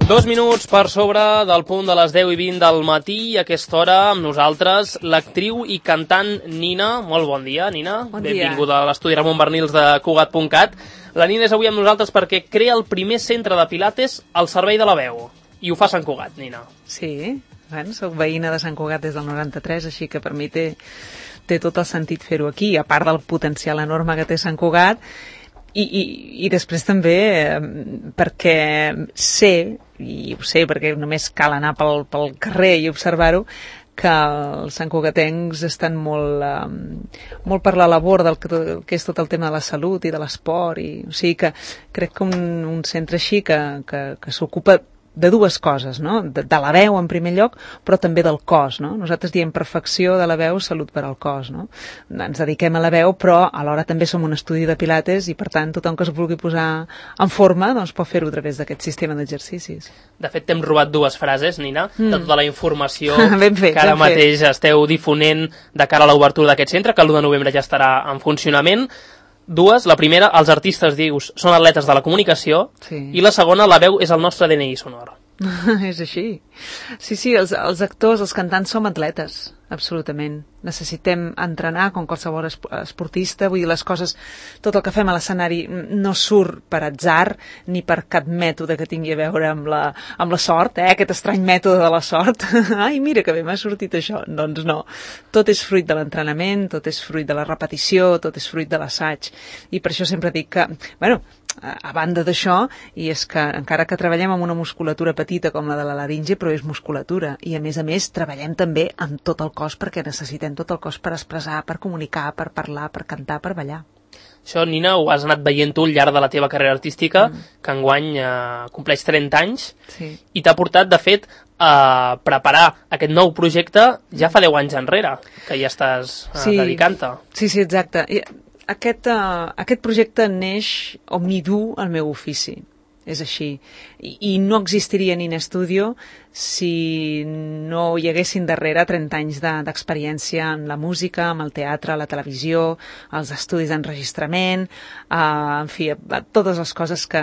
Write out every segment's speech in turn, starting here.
2 minuts per sobre del punt de les 10:20 del matí, a aquesta hora amb nosaltres l'actriu i cantant Nina. Molt bon dia, Nina. Bon dia. Benvinguda a l'estudi Ramon Bernils de Cugat.cat. La Nina és avui amb nosaltres perquè crea el primer centre de pilates al servei de la veu. I ho fa a Sant Cugat, Nina. Sí, bueno, soc veïna de Sant Cugat des del 93, així que per mi té tot el sentit fer-ho aquí, a part del potencial enorme que té Sant Cugat. I després també perquè sé, i ho sé perquè només cal anar pel carrer i observar-ho, que els santcugatencs estan molt per la labor del que és tot el tema de la salut i de l'esport, o sigui que crec que un centre així que s'ocupa de dues coses, no? De la veu en primer lloc, però també del cos, no? Nosaltres diem perfecció de la veu, salut per al cos, no? Ens dediquem a la veu, però alhora també som un estudi de pilates i per tant tothom que es vulgui posar en forma doncs pot fer-ho a través d'aquest sistema d'exercicis. De fet t'hem robat dues frases, Nina, de tota la informació que ara mateix esteu difonent de cara a l'obertura d'aquest centre, que l'1 de novembre ja estarà en funcionament. Dues, la primera, els artistes, dius, són atletes de la comunicació, sí. I la segona, la veu és el nostre DNI sonor. És així. Sí, els actors, els cantants som atletes, absolutament. Necessitem entrenar com qualsevol esportista, vull dir, les coses, tot el que fem a l'escenari no surt per atzar ni per cap mètode que tingui a veure amb la sort, aquest estrany mètode de la sort. Ai, mira que bé m'ha sortit això. Doncs no. Tot és fruit de l'entrenament, tot és fruit de la repetició, tot és fruit de l'assaig. I per això sempre dic que, bueno, a banda d'això, i és que encara que treballem amb una musculatura petita com la de la laringe, però és musculatura, i a més treballem també amb tot el cos perquè necessitem tot el cos per expressar, per comunicar, per parlar, per cantar, per ballar. Això, Nina, ho has anat veient tu al llarg de la teva carrera artística, que enguany compleix 30 anys, sí. I t'ha portat, de fet, a preparar aquest nou projecte ja fa 10 anys enrere, que ja estàs dedicant-te. Sí, exacte. Aquest projecte neix o m'hi du el meu ofici, és així, i no existiria Nina Studio si no hi haguessin darrere 30 anys d'experiència en la música, en el teatre, la televisió, els estudis d'enregistrament, en fi, totes les coses que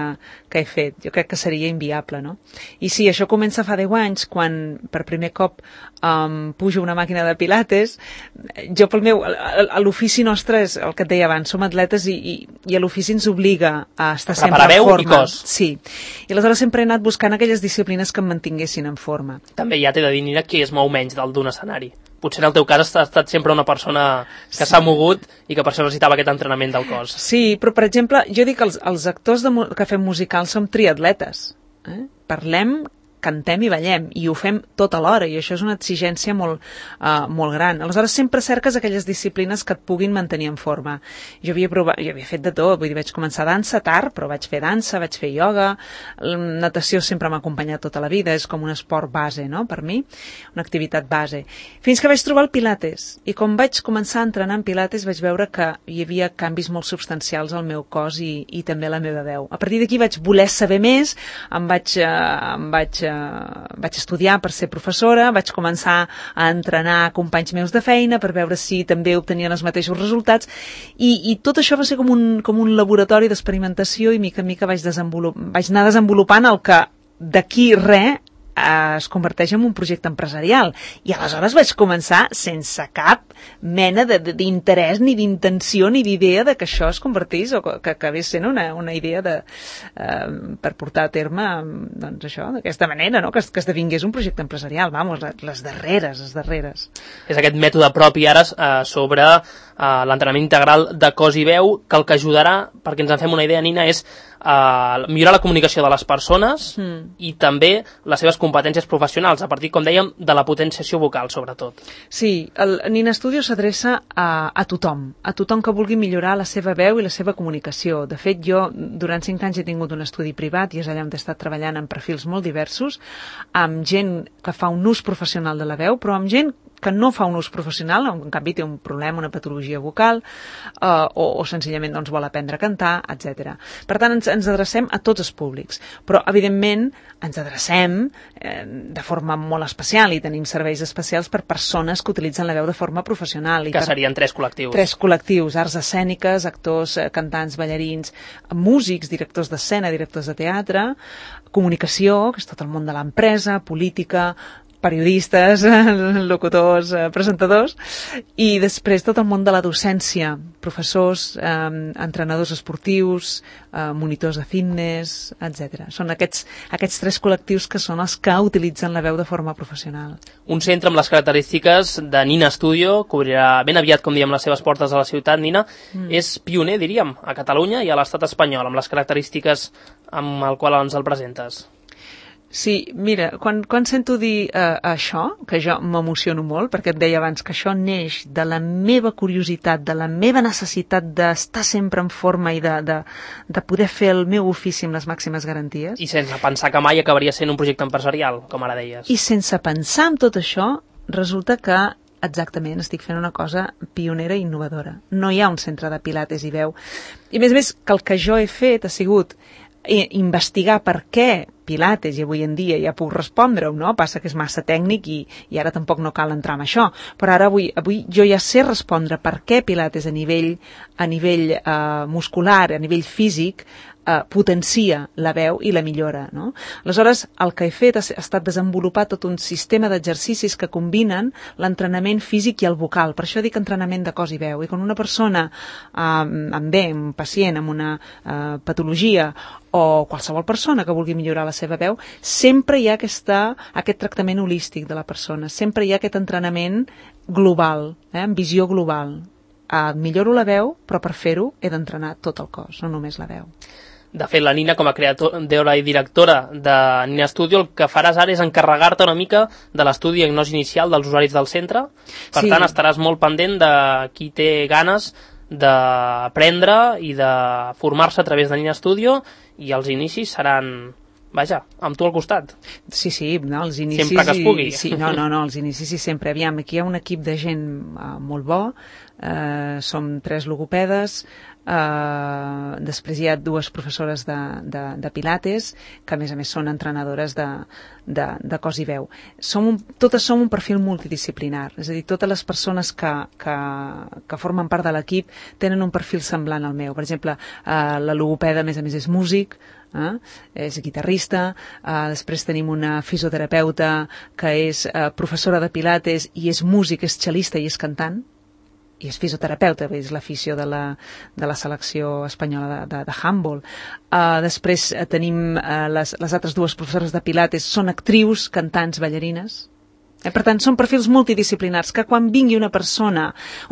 he fet. Jo crec que seria inviable, no? I sí, això comença fa 10 anys, quan per primer cop pujo una màquina de pilates. Jo a l'ofici nostre és el que et deia abans, som atletes i a l'ofici ens obliga a estar sempre en forma. Veu i cos. Sí, i aleshores sempre he anat buscant aquelles disciplines que em mantinguessin en forma. També ja t'he de dir, Nina, qui es mou menys d'un escenari. Potser en el teu cas has estat sempre una persona que s'ha mogut i que per això necessitava aquest entrenament del cos. Sí, però per exemple, jo dic que els actors que fem musicals som triatletes. Parlem, cantem i ballem, i ho fem tot alhora, i això és una exigència molt gran. Aleshores, sempre cerques aquelles disciplines que et puguin mantenir en forma. Jo havia fet de tot, vull dir, vaig començar dansa tard, però vaig fer dansa, vaig fer ioga, natació sempre m'ha acompanyat tota la vida, és com un esport base, no?, per mi, una activitat base. Fins que vaig trobar el pilates, i quan vaig començar a entrenar en pilates vaig veure que hi havia canvis molt substancials al meu cos i també a la meva veu. A partir d'aquí vaig voler saber més, vaig estudiar per ser professora, vaig començar a entrenar companys meus de feina per veure si també obtenien els mateixos resultats i tot això va ser com un laboratori d'experimentació i mica en mica vaig anar desenvolupant el que d'aquí es converteix en un projecte empresarial. I aleshores vaig començar sense cap mena d'interès, ni d'intenció, ni d'idea de que això es convertís o que acabés sent una idea per portar a terme, doncs això, d'aquesta manera, no? Que esdevingués un projecte empresarial. Vamos, les darreres. És aquest mètode propi ara sobre l'entrenament integral de cos i veu, que el que ajudarà, perquè ens en fem una idea, Nina, és millorar la comunicació de les persones i també les seves competències professionals, a partir, com dèiem, de la potenciació vocal, sobretot. Sí, el Nina Studio s'adreça a tothom que vulgui millorar la seva veu i la seva comunicació. De fet, jo durant 5 anys he tingut un estudi privat i és allà on he estat treballant en perfils molt diversos, amb gent que fa un ús professional de la veu, però amb gent que no fa un ús professional, en canvi té un problema, una patologia vocal, o senzillament doncs, vol aprendre a cantar, etc. Per tant, ens adrecem a tots els públics, però evidentment ens adrecem de forma molt especial i tenim serveis especials per persones que utilitzen la veu de forma professional. Que serien 3 col·lectius. 3 col·lectius, arts escèniques, actors, cantants, ballarins, músics, directors d'escena, directors de teatre, comunicació, que és tot el món de l'empresa, política, periodistes, locutors, presentadors, i després tot el món de la docència, professors, entrenadors esportius, monitors de fitness, etc. Són aquests 3 col·lectius que són els que utilitzen la veu de forma professional. Un centre amb les característiques de Nina Studio, que obrirà ben aviat, com diem, les seves portes a la ciutat, Nina, és pioner, diríem, a Catalunya i a l'estat espanyol, amb les característiques amb el qual ens el presentes. Sí, mira, quan sento dir això, que jo m'emociono molt, perquè et deia abans que això neix de la meva curiositat, de la meva necessitat d'estar sempre en forma i de poder fer el meu ofici amb les màximes garanties. I sense pensar que mai acabaria sent un projecte empresarial, com ara deies. I sense pensar en tot això, resulta que exactament, estic fent una cosa pionera i innovadora. No hi ha un centre de pilates i veu. I a més, que el que jo he fet ha sigut investigar per què Pilates, i avui en dia ja puc respondre-ho, no? Passa que és massa tècnic i ara tampoc no cal entrar en això, però ara avui jo ja sé respondre per què Pilates a nivell muscular, a nivell físic, potencia la veu i la millora, no? Aleshores, el que he fet ha estat desenvolupar tot un sistema d'exercicis que combinen l'entrenament físic i el vocal. Per això dic entrenament de cos i veu. I quan una persona un pacient amb una patologia o qualsevol persona que vulgui millorar la seva veu, sempre hi ha aquest tractament holístic de la persona, sempre hi ha aquest entrenament global, amb visió global. Milloro la veu, però per fer-ho he d'entrenar tot el cos, no només la veu. De fet, la Nina, com a creadora i directora de Nina Studio, el que faràs ara és encarregar-te una mica de l'estudi i diagnosi inicial dels usuaris del centre. Per tant, estaràs molt pendent de qui té ganes d'aprendre i de formar-se a través de Nina Studio, i els inicis seran, vaja, amb tu al costat. Sí, no, els inicis... Sempre que es pugui. Sí, no, els inicis i sempre. Aviam, aquí hi ha un equip de gent molt bo, som 3 logopedes, després hi ha 2 professores de Pilates, que a més són entrenadores de cos i veu. Totes som un perfil multidisciplinar, és a dir, totes les persones que formen part de l'equip tenen un perfil semblant al meu. Per exemple, la logopeda a més és músic, és guitarrista, després tenim una fisioterapeuta que és professora de Pilates i és músic, és cel·lista i és cantant, i és fisioterapeuta, és l'afició de la selecció espanyola de handball. Després tenim les altres 2 professores de Pilates, són actrius, cantants, ballarines. Per tant, són perfils multidisciplinars que quan vingui una persona,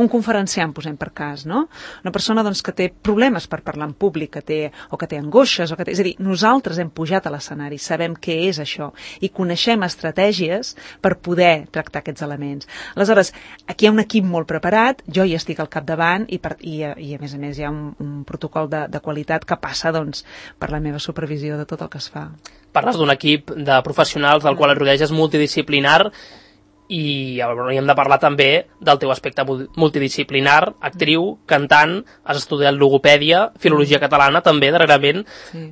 un conferenciant, posem per cas, no? Una persona doncs, que té problemes per parlar en públic, que té angoixes, és a dir, nosaltres hem pujat a l'escenari, sabem què és això i coneixem estratègies per poder tractar aquests elements. Aleshores, aquí hi ha un equip molt preparat, jo hi estic al capdavant i a més hi ha un protocol de qualitat que passa doncs, per la meva supervisió de tot el que es fa. Parles d'un equip de professionals del qual et rodeges multidisciplinar, i hauríem de parlar també del teu aspecte multidisciplinar, actriu, cantant, has estudiat logopèdia, filologia catalana també, darrerament. Sí.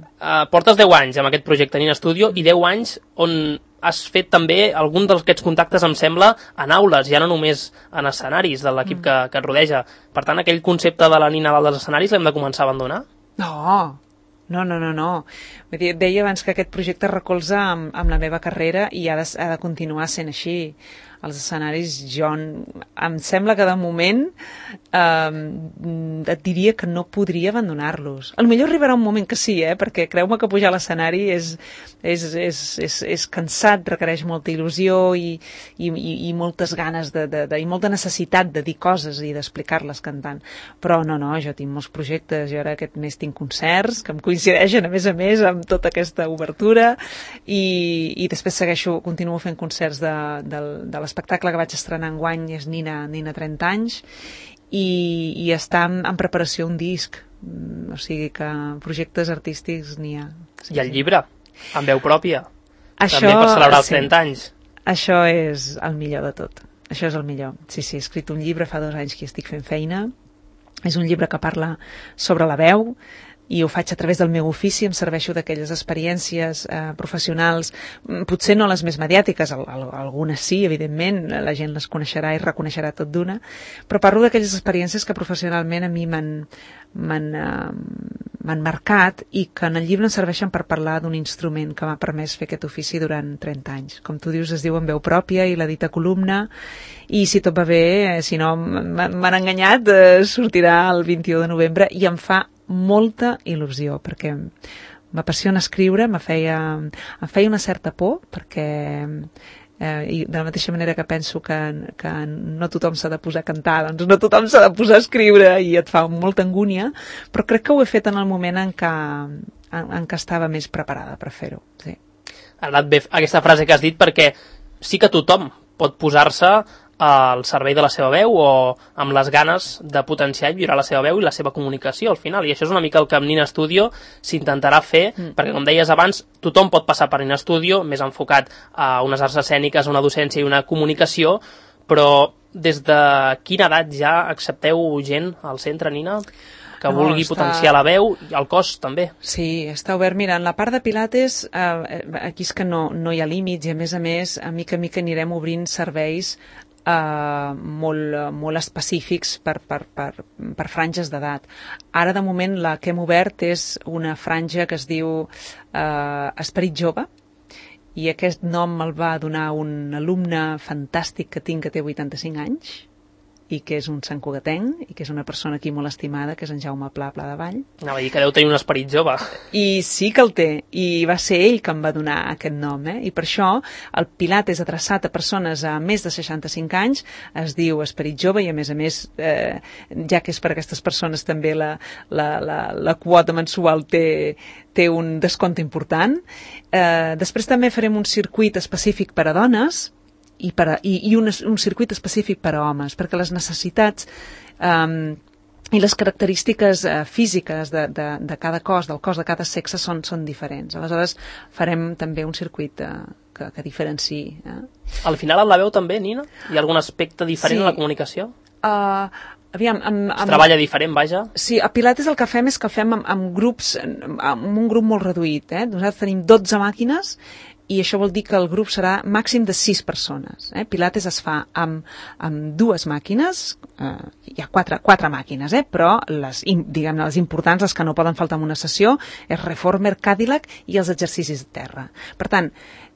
Portes 10 anys amb aquest projecte Nina Studio i 10 anys on has fet també algun d'aquests contactes, em sembla, en aules, ja no només en escenaris de l'equip que et rodeja. Per tant, aquell concepte de la Nina dalt dels escenaris l'hem de començar a abandonar? No. Vull dir, et deia abans que aquest projecte recolza amb la meva carrera i ha de continuar sent així. Els escenaris, jo em sembla que de moment et diria que no podria abandonar-los. Potser arribarà un moment que sí, perquè creu-me que pujar a l'escenari és cansat, requereix molta il·lusió i moltes ganes i molta necessitat de dir coses i d'explicar-les cantant. Però no, jo tinc molts projectes, jo ara aquest mes tinc concerts que em coincideixen a més amb tota aquesta obertura i després continuo fent concerts de l'espectacle que vaig estrenar enguany és Nina 30 anys i està en preparació un disc, o sigui que projectes artístics n'hi ha. Sí, i el llibre, amb veu pròpia, també per celebrar els 30 anys. Això és el millor de tot. Això és el millor. Sí, he escrit un llibre fa 2 anys que estic fent feina. És un llibre que parla sobre la veu, i ho faig a través del meu ofici, em serveixo d'aquelles experiències professionals, potser no les més mediàtiques, algunes sí, evidentment, la gent les coneixerà i reconeixerà tot d'una, però parlo d'aquelles experiències que professionalment a mi m'han marcat i que en el llibre em serveixen per parlar d'un instrument que m'ha permès fer aquest ofici durant 30 anys. Com tu dius, es diu En veu pròpia i la dita columna, i si tot va bé, si no m'han enganyat, sortirà el 21 de novembre i em fa molta il·lusió, perquè m'apassiona escriure, em feia una certa por, perquè i de la mateixa manera que penso que no tothom s'ha de posar a cantar, doncs no tothom s'ha de posar a escriure i et fa molta angúnia, però crec que ho he fet en el moment en què estava més preparada per fer-ho. Sí. Ha anat bé aquesta frase que has dit, perquè sí que tothom pot posar-se al servei de la seva veu o amb les ganes de potenciar i millorar la seva veu i la seva comunicació al final, i això és una mica el que amb Nina Studio s'intentarà fer, perquè com deies abans, tothom pot passar per Nina Studio, més enfocat a unes arts escèniques, a una docència i una comunicació, però des de quina edat ja accepteu gent al centre, Nina, que vulgui potenciar la veu i el cos també? Sí, està obert. Mira, en la part de Pilates, aquí és que no hi ha límits, i a més, a mica anirem obrint serveis molt específics per franges d'edat. Ara, de moment, la que hem obert és una franja que es diu Esperit Jove, i aquest nom me'l va donar un alumne fantàstic que tinc, que té 85 anys, i que és un santcugatenc, i que és una persona aquí molt estimada, que és en Jaume Pla de Vall. Anava a dir que deu tenir un esperit jove. I sí que el té, i va ser ell que em va donar aquest nom, i per això el Pilates adreçat a persones a més de 65 anys es diu Esperit Jove, i a més, ja que és per a aquestes persones també la quota mensual té un descompte important. Després també farem un circuit específic per a dones, i un circuit específic per a homes, perquè les necessitats i les característiques físiques de cada cos, del cos de cada sexe són diferents. Aleshores farem també un circuit que diferenciï. Al final en la veu també, Nina? Hi ha algun aspecte diferent a la comunicació? Aviam, es treballa diferent, vaja? Sí, a Pilates el que fem és que el fem amb grups, amb un grup molt reduït. Nosaltres tenim 12 màquines, i això vol dir que el grup serà màxim de 6 persones. Pilates es fa amb 2 màquines, hi ha 4 màquines, però les importants, les que no poden faltar en una sessió, és Reformer, Cadillac i els exercicis de terra. Per tant,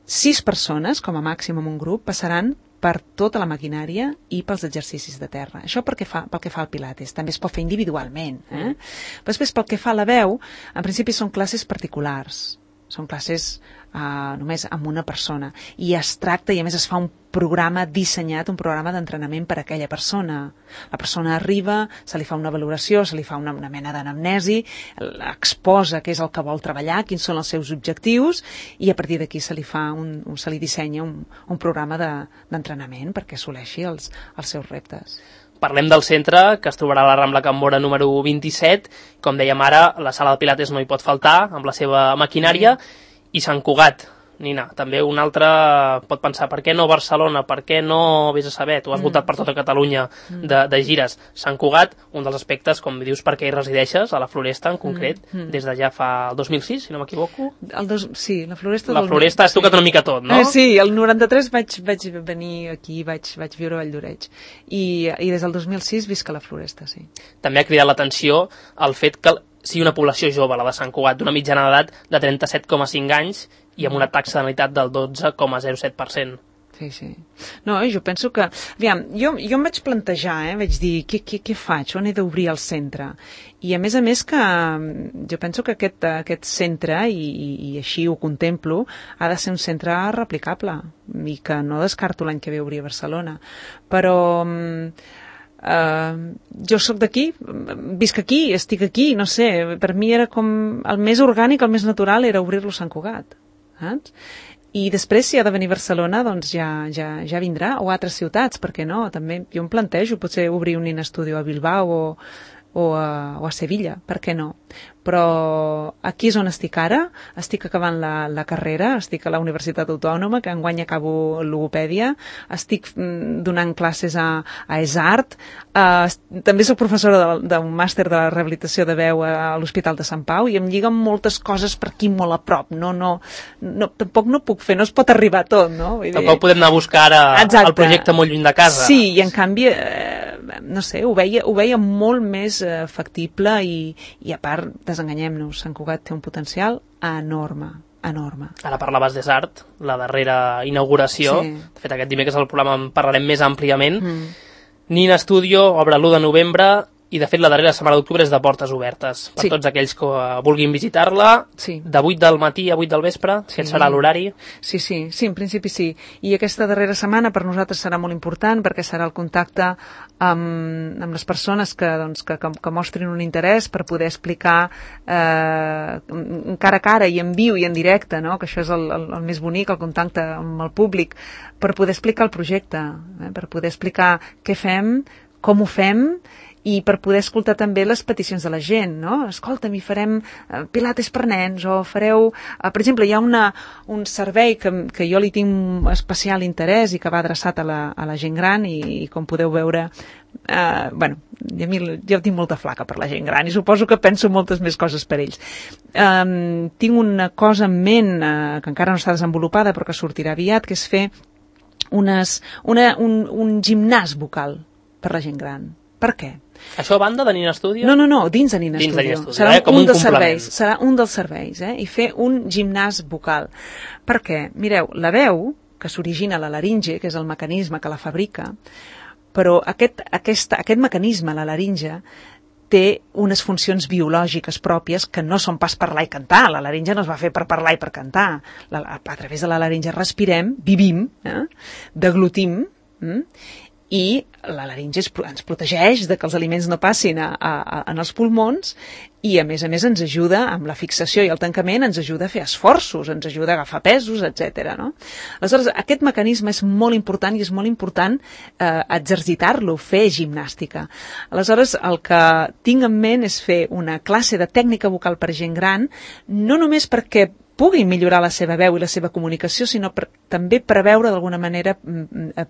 6 persones, com a màxim en un grup, passaran per tota la maquinària i pels exercicis de terra. Això pel que fa al Pilates. També es pot fer individualment. Però després, pel que fa a la veu, en principi són classes particulars. Són classes només amb una persona, i es tracta, i a més es fa un programa dissenyat, un programa d'entrenament per a aquella persona. La persona arriba, se li fa una valoració, se li fa una mena d'anamnesi, exposa què és el que vol treballar, quins són els seus objectius, i a partir d'aquí se li dissenya un programa d'entrenament perquè assoleixi els seus reptes. Parlem del centre, que es trobarà a la Rambla Can Móra número 27. Com dèiem ara, la sala de Pilates no hi pot faltar, amb la seva maquinària, i Sant Cugat, Nina, també un altre pot pensar, per què no Barcelona, per què no, vés a saber, tu has voltat per tota Catalunya de gires. Sant Cugat, un dels aspectes, com dius, perquè hi resideixes, a la Floresta en concret, des de ja fa el 2006, si no m'equivoco. Sí, la Floresta... La Floresta has tocat una mica tot, no? Sí, el 93 vaig venir aquí, vaig viure a Valldoreix, i des del 2006 visc a la Floresta, sí. També ha cridat l'atenció el fet que sigui una població jove, la de Sant Cugat, d'una mitjana d'edat de 37,5 anys i amb una taxa de natalitat del 12,07%. Sí. No, jo penso que... Aviam, jo em vaig plantejar, vaig dir, què faig? On he d'obrir el centre? I a més que jo penso que aquest centre, i així ho contemplo, ha de ser un centre replicable, i que no descarto l'any que ve obrir a Barcelona. Però... jo sóc d'aquí, visc aquí, estic aquí, no sé, per mi era com el més orgànic, el més natural era obrir-lo a Sant Cugat, saps? I després, si ha de venir a Barcelona, doncs ja vindrà, o a altres ciutats, per què no? També jo em plantejo potser obrir un Nina Studio a Bilbao o a Sevilla, per què no? Però aquí és on estic ara, estic acabant la carrera, estic a la Universitat Autònoma, que enguany acabo logopèdia, estic donant classes a ESART, també soc professora d'un màster de rehabilitació de veu a l'Hospital de Sant Pau, i em lliguen moltes coses per aquí molt a prop, tampoc no puc fer, no es pot arribar a tot, no? Vull dir... Tampoc podem anar a buscar el projecte molt lluny de casa. Sí, i en canvi, no sé, ho veia molt més factible i a part, desenganyem-nos, Sant Cugat té un potencial enorme. Ara parlaves d'ESART, la darrera inauguració. Sí. De fet, aquest dimecres al programa en parlarem més àmpliament. Nina Studio obre l'1 de novembre i, de fet, la darrera setmana d'octubre és de portes obertes. Per tots aquells que vulguin visitar-la, de 8 del matí a 8 del vespre, aquest serà l'horari. Sí, en principi sí. I aquesta darrera setmana per nosaltres serà molt important perquè serà el contacte amb les persones que mostrin un interès per poder explicar cara a cara i en viu i en directe, no? Que això és el més bonic, el contacte amb el públic, per poder explicar el projecte, per poder explicar què fem, com ho fem, i per poder escoltar també les peticions de la gent, no? Escolta'm, farem pilates per nens, o fareu... Per exemple, hi ha un servei que jo li tinc especial interès i que va adreçat a la gent gran i com podeu veure... jo tinc molta flaca per la gent gran i suposo que penso moltes més coses per ells. Tinc una cosa en ment que encara no està desenvolupada però que sortirà aviat, que és fer un gimnàs vocal per la gent gran. Per què? Això a banda de Nina Studio? No, dins de Nina Studio. Serà un dels serveis. Serà un dels serveis, i fer un gimnàs vocal. Per què? Mireu, la veu, que s'origina a la laringe, que és el mecanisme que la fabrica, però aquest mecanisme, la laringe, té unes funcions biològiques pròpies que no són pas parlar i cantar. La laringe no es va fer per parlar i per cantar. A través de la laringe respirem, vivim, deglutim, i la laringe ens protegeix de que els aliments no passin en els pulmons i, a més ens ajuda amb la fixació i el tancament, ens ajuda a fer esforços, ens ajuda a agafar pesos, etc. No? Aleshores, aquest mecanisme és molt important i és molt important exercitar-lo, fer gimnàstica. Aleshores, el que tinc en ment és fer una classe de tècnica vocal per gent gran, no només perquè puguin millorar la seva veu i la seva comunicació, sinó també preveure d'alguna manera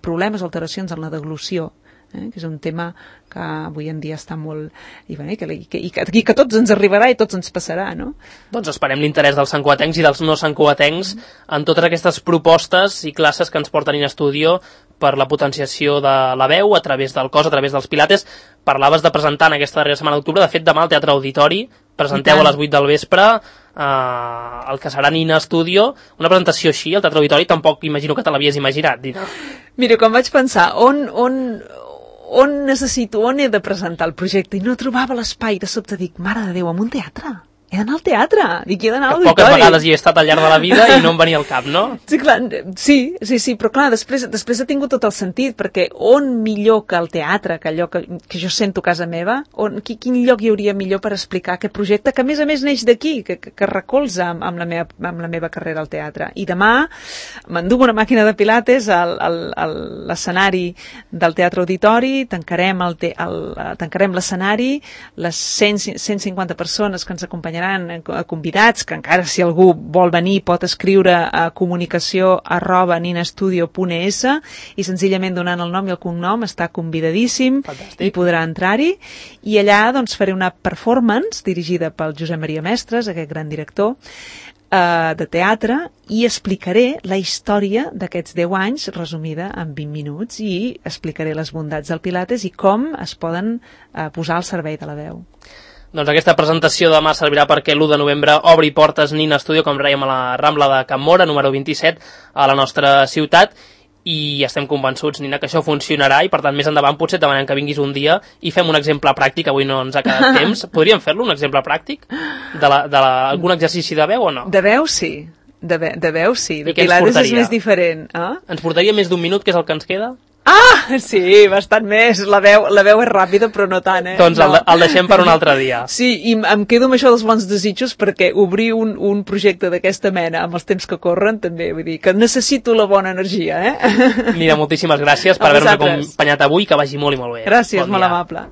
problemes o alteracions en la deglució, que és un tema que avui en dia està molt... i que a tots ens arribarà i tots ens passarà, no? Doncs esperem l'interès dels santcugatencs i dels no santcugatencs en totes aquestes propostes i classes que ens porten in Studio per la potenciació de la veu a través del cos, a través dels pilates. Parlaves de presentar en aquesta darrera setmana d'octubre, de fet demà al Teatre Auditori presenteu a les 8 del vespre el que serà Nina Studio, una presentació així al Teatre Auditori, tampoc imagino que te l'havies imaginat, Dina. Mira, quan vaig pensar on he de presentar el projecte i no trobava l'espai, de sobte dic, mare de Déu, en un teatre? He d'anar al teatre, dic, he d'anar a l'auditori. Poques vegades hi he estat al llarg de la vida i no em venia al cap, no? Sí, clar, sí, però clar, després ha tingut tot el sentit, perquè on millor que el teatre, que allò que jo sento a casa meva, quin lloc hi hauria millor per explicar aquest projecte, que a més neix d'aquí, que recolza amb la meva carrera al teatre. I demà m'enduc una màquina de pilates a l'escenari del Teatre Auditori, tancarem l'escenari, les 150 persones que ens acompanyaran convidats, que encara si algú vol venir pot escriure a comunicació@ninastudio.es i senzillament donant el nom i el cognom està convidadíssim. Fantàstic. I podrà entrar-hi, i allà doncs faré una performance dirigida pel Josep Maria Mestres, aquest gran director de teatre, i explicaré la història d'aquests 10 anys resumida en 20 minuts i explicaré les bondats del Pilates i com es poden posar al servei de la veu. Doncs aquesta presentació demà servirà perquè l'1 de novembre obri portes Nina Studio, com dèiem, a la Rambla de Can Móra, número 27, a la nostra ciutat, i estem convençuts, Nina, que això funcionarà, i per tant més endavant potser et demanem que vinguis un dia i fem un exemple pràctic. Avui no ens ha quedat temps. Podríem fer-lo, un exemple pràctic d'algun exercici de veu o no? De veu sí, de veu sí, de Pilates és més diferent. Ens portaria més d'un minut, que és el que ens queda? Sí, bastant més. La veu és ràpida, però no tant, Doncs no. El deixem per un altre dia. Sí, i em quedo amb això dels bons desitjos, perquè obrir un projecte d'aquesta mena amb els temps que corren, també, vull dir, que necessito la bona energia, Mira, moltíssimes gràcies per haver-nos acompanyat avui, que vagi molt i molt bé. Gràcies, molt amable.